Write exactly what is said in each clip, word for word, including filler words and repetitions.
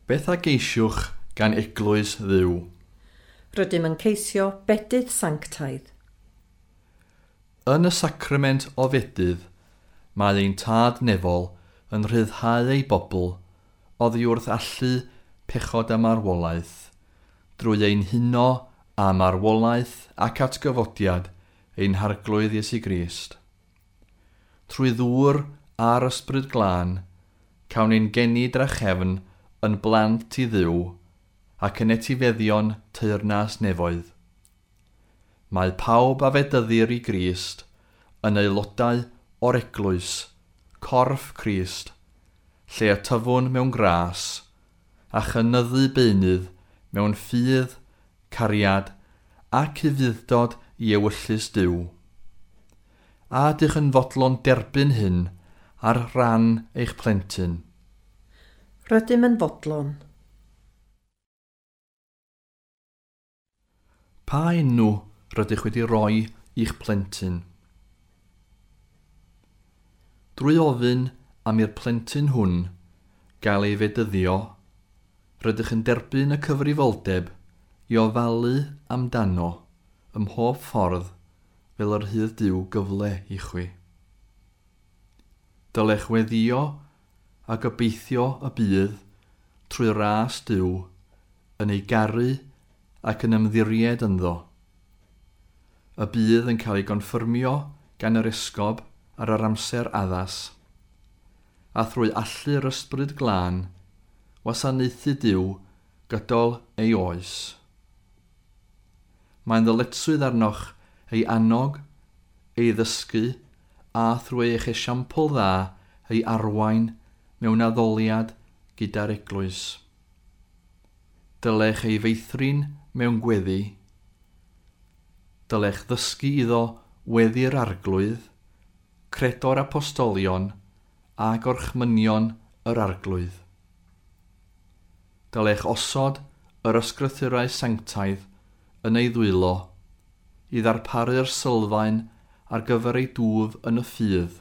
Beth a geisiwch gan Eglwys Dduw? Rydym yn ceisio bedydd sanctaidd. Yn y sacrament o fedydd, mae ein Tad nefol yn rhyddhau ei bobl oddi wrth allu pechod a marwolaeth, drwy ein huno a marwolaeth ac atgyfodiad ein Harglwydd Iesu Grist. Trwy ddŵr a'r Ysbryd Glân, cawn ein geni drachefn yn blant i Dduw ac yn etifeddion teyrnas nefoedd. Mae pawb a fedyddir i Grist yn aelodau o'r eglwys, corff Crist, lle y tyfwn mewn gras, a chynyddu beunydd mewn ffydd, cariad ac ufudd-dod i ewyllys Duw. A ydych yn fodlon derbyn hyn ar ran eich plentyn? Rydym yn fodlon. Pa enw rydych wedi rhoi i'ch plentyn? Drwy ofyn am i'r plentyn hwn gael ei fedyddio, rydych yn derbyn y cyfrifoldeb i ofalu amdano ym mhob ffordd fel yr rhydd Duw gyfle i chwi. Dylech weddïo a gobeithio y bydd trwy ras Duw yn ei garu ac yn ymddiried ynddo. Y bydd yn cael ei gonffyrmio gan yr esgob ar yr amser addas, a thrwy allu'r Ysbryd Glân wasanaethu Duw gydol ei oes. Mae'n ddyletswydd arnoch ei annog, ei ddysgu, a thrwy eich esiampl dda ei arwain mewn addoliad gyda'r eglwys. Dylech ei feithrin mewn gweddi. Dylech ddysgu iddo weddi'r Arglwydd, credo'r apostolion a gorchmynion yr Arglwydd. Dylech osod yr ysgrythurau sanctaidd yn ei ddwylo i ddarparu'r sylfaen ar gyfer ei dwf yn y ffydd.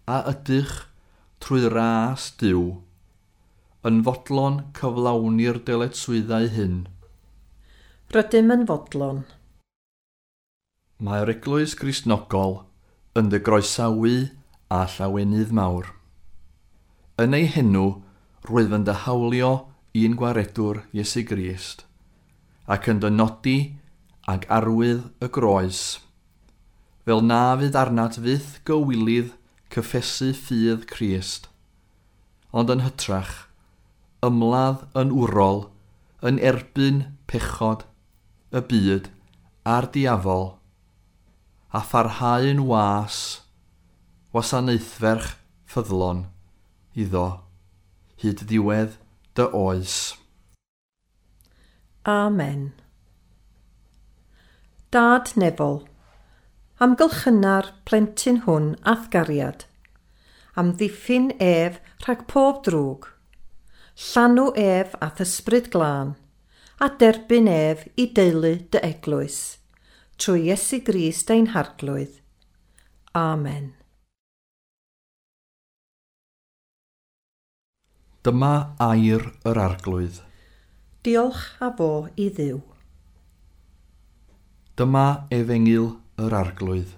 A ydych, trwy ras Duw, yn fodlon cyflawni'r dyletswyddau hyn? Rydym yn fodlon. Mae'r Eglwys Gristnogol yn dy groesawu a llawenydd mawr. Yn ei henw, rwyf yn dy hawlio i'n gwaredwr Iesu Grist, ac yn dy nodi ag arwydd y groes, fel na fydd arnat fyth gywilydd cyffesu ffydd Crist, ond yn hytrach, ymladd yn wrol, yn erbyn pechod, y byd a'r diafol, a pharhau'n was, wasanaethferch ffyddlon iddo, hyd ddiwedd dy oes. Amen. Dad nefol, amgylchyna'r plentyn hwn a'th gariad, amddiffyn ef rhag pob drwg, llanw ef a'th Ysbryd Glân, a derbyn ef i deulu dy eglwys, trwy Iesu Grist ein Harglwydd. Amen. Dyma air yr Arglwydd. Diolch a fo i Dduw. Dyma efengyl yr Arglwydd.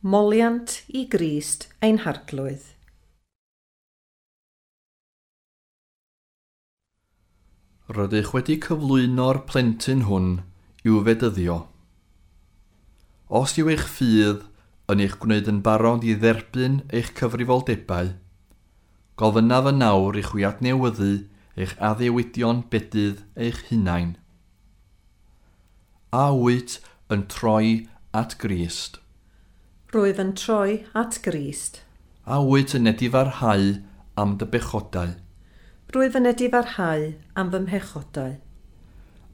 Moliant i Grist ein Harglwydd. Rydych wedi cyflwyno'r plentyn hwn i'w fedyddio. Os yw eich ffydd yn eich gwneud yn barod i dderbyn eich cyfrifoldebau, gofynnaf yn nawr i chwi adnewyddu eich addewidion bedydd eich hunain. A wyt yn troi at Grist? Rwyf yn troi at Grist. A wyt yn edifarhau am dy bechodau? Rwyf yn edifarhau am fy mhechodau.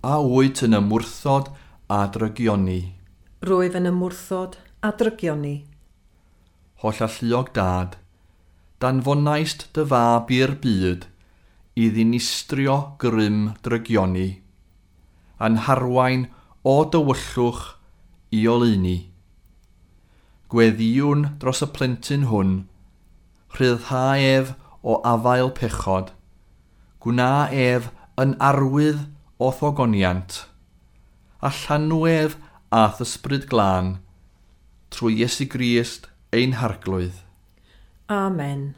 A wyt yn ymwrthod a drygioni? Rwyf yn ymwrthod a drygioni. Hollalluog Dad, danfonaist dy fab i'r byd i ddinistrio grym drygioni, a'n harwain o dywyllwch i oleuni. Gweddïwn dros y plentyn hwn, rhyddhau ef o afael pechod, Gwna ef yn arwydd o thogoniant, a llanw ef a'th ysbryd glân, trwy Iesu Grist ein Harglwydd. Amen.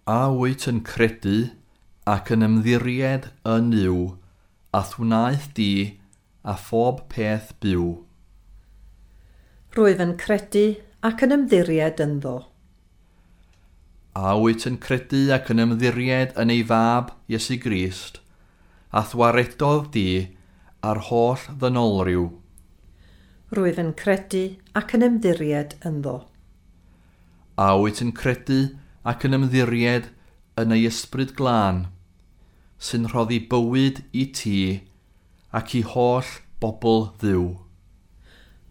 A wyt yn credu ac yn ymddiried yn Nuw, a'th wnaeth di a phob peth byw? Rwyf yn credu ac yn ymddiried ynddo. A wyt yn credu ac yn ymddiried yn ei fab, Iesu Grist, a'th waredodd di a'r holl ddynolryw? Rwyf yn credu ac yn ymddiried ynddo. A wyt yn credu ac yn ymddiried yn ei ysbryd glân, sy'n rhoddi bywyd i ti ac i holl bobl Dduw?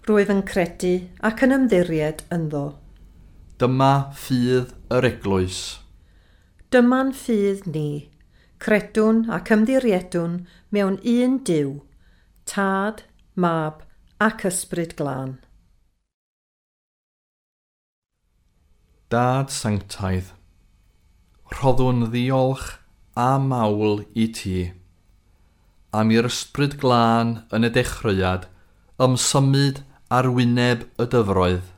Rwyf yn credu ac yn ymddiried ynddo. Dyma ffydd yr eglwys. Dyma'n ffydd ni, credwn ac ymddiriedwn mewn un Duw, Tad, Mab ac Ysbryd Glân. Dad sanctaidd, rhoddwn ddiolch a mawl i ti, am i'r ysbryd glân yn y dechreuad ymsymud ar wyneb y dyfroedd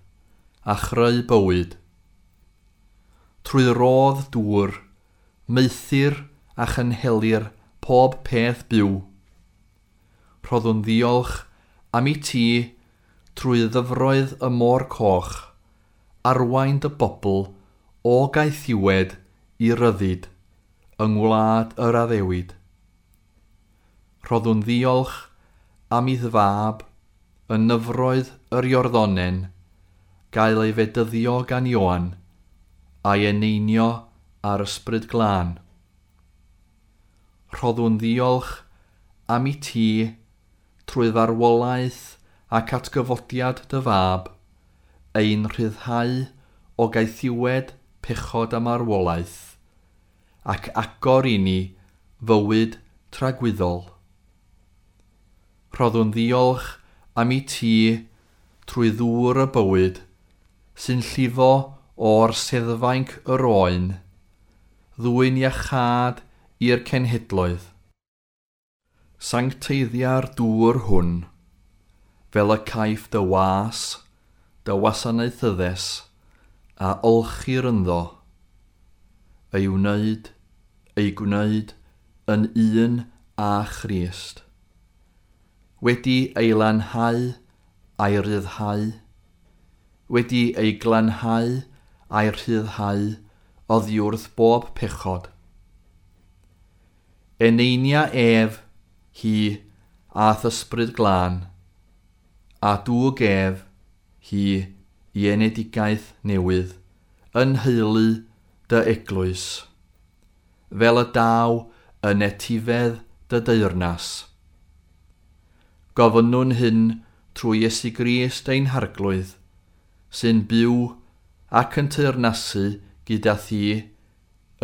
a chreu bywyd. Trwy rodd dŵr, maethir a chynhelir pob peth byw. Rhoddwn ddiolch am i ti trwy ddyfroedd y môr coch, arwain dy bobl o gaethiwed i ryddid yng ngwlad yr addewid. Rhoddwn ddiolch am i'th fab yn nyfroedd yr Iorddonen gael ei fedyddio gan Ioan a'i eneinio ar ysbryd glân. Rhoddwn ddiolch am i ti trwy farwolaeth ac atgyfodiad dy fab, ein rhyddhau o gaethiwed pechod a marwolaeth, ac agor i ni fywyd tragwyddol. Rhoddwn ddiolch am i ti trwy ddŵr y bywyd sy'n llifo o'r seddfainc yr oen, ddwyn iachâd i'r cenhedloedd. Sancteiddia'r dŵr hwn, fel y caiff dy was, dy wasanaethyddes, a olchir ynddo, ei wneud, ei gwneud yn un â Christ. Wedi ei lanhau a'i ryddhau, wedi ei glanhau a'i rhyddhau oddi wrth bob pechod. Eneinia ef, hi, a'th ysbryd glân, a dwg ef, hi, i enedigaeth newydd, yn nheulu dy eglwys, fel y daw yn etifedd dy deyrnas. Gofynnwn hyn trwy Iesu Grist ein Harglwydd, sy'n byw ac yn teyrnasu gyda thi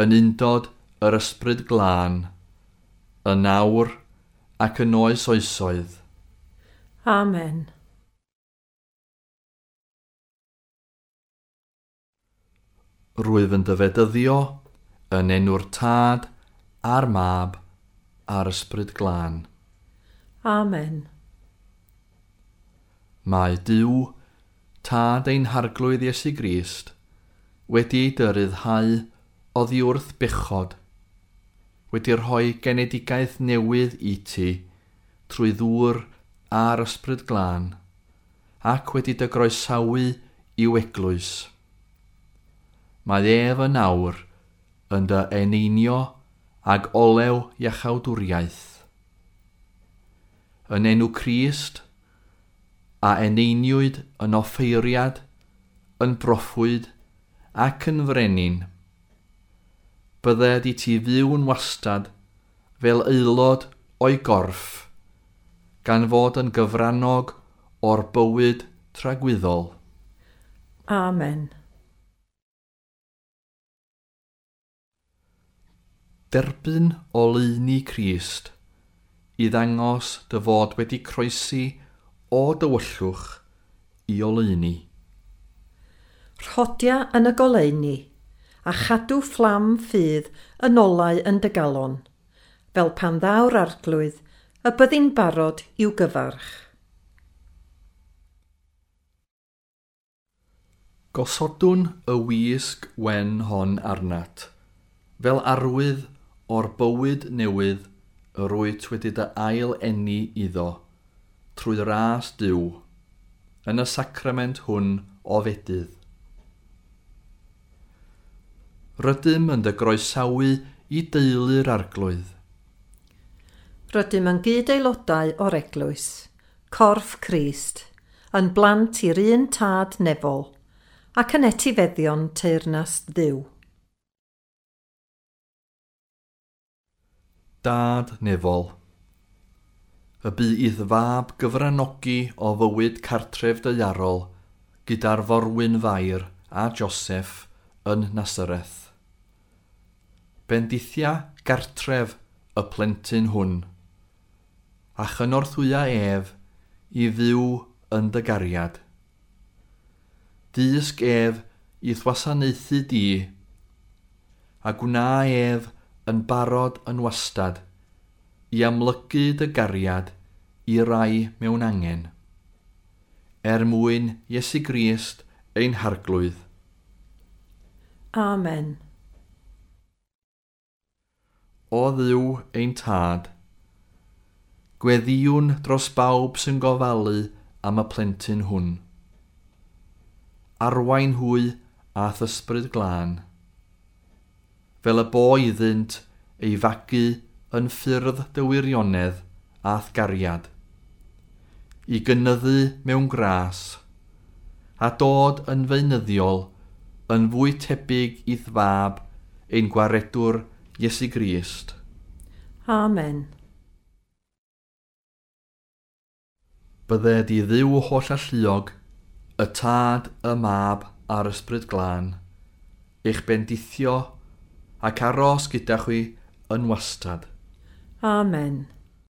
yn undod yr ysbryd glân, yn awr ac yn oes oesoedd. Amen. Rwyf yn dy fedyddio yn enw'r Tad a'r Mab a'r Ysbryd Glân. Amen. Mae Duw, Tad ein Harglwydd Iesu Grist, wedi ei dy ryddhau oddi wrth bechod, wedi rhoi genedigaeth newydd i ti trwy ddŵr a'r Ysbryd Glân, ac wedi dy groesawu i'w eglwys. Mae ef yn awr yn dy eneinio ag olew iachawdwriaeth. Yn enw Crist, a eneiniwyd yn offeiriad, yn broffwyd ac yn frenin, bydded i ti fyw'n wastad fel aelod o'i gorff, gan fod yn gyfrannog o'r bywyd tragwyddol. Amen. Derbyn oleuni Crist i ddangos dy fod wedi croesi o dywyllwch i oleuni. Rhodia yn y goleuni, a chadw fflam ffydd yn olau yn dy galon, fel pan ddaw'r Arglwydd y byddi'n barod i'w gyfarch. Gosodwn y wisg wen hon arnat, fel arwydd o'r bywyd newydd yr wyt wedi dy ail eni iddo, trwy ras Duw, yn y sacrament hwn o fedydd. Rydym yn dy groesawu i deulu'r Arglwydd. Rydym yn gyd-aelodau o'r Eglwys, corff Crist, yn blant i'r un tad nefol, ac yn etifeddion teyrnas Dduw. Dad nefol, y bu i'th fab gyfranogi o fywyd cartref daearol gyda'r forwyn Fair a Joseph yn Nasareth. Bendithia gartref y plentyn hwn, a chynorthwya ef i fyw yn dy gariad. Dysg ef i'th wasanaethu di, a gwna ef yn barod yn wastad i amlygu dy gariad i rai mewn angen. Er mwyn Iesu Grist ein Harglwydd. Amen. O Dduw ein Tad, gweddïwn dros bawb sy'n gofalu am y plentyn hwn. Arwain hwy a'th ysbryd glân, fel y bo iddynt ei fagu yn ffyrdd dy wirionedd a'th gariad, i gynyddu mewn gras, a dod yn feunyddiol yn fwy tebyg i'th fab ein gwaredwr Iesu Grist. Amen. Bydded i Dduw holl alluog, y Tad, y Mab a'r Ysbryd Glân, eich bendithio ac aros gyda chwi yn wastad. Amen.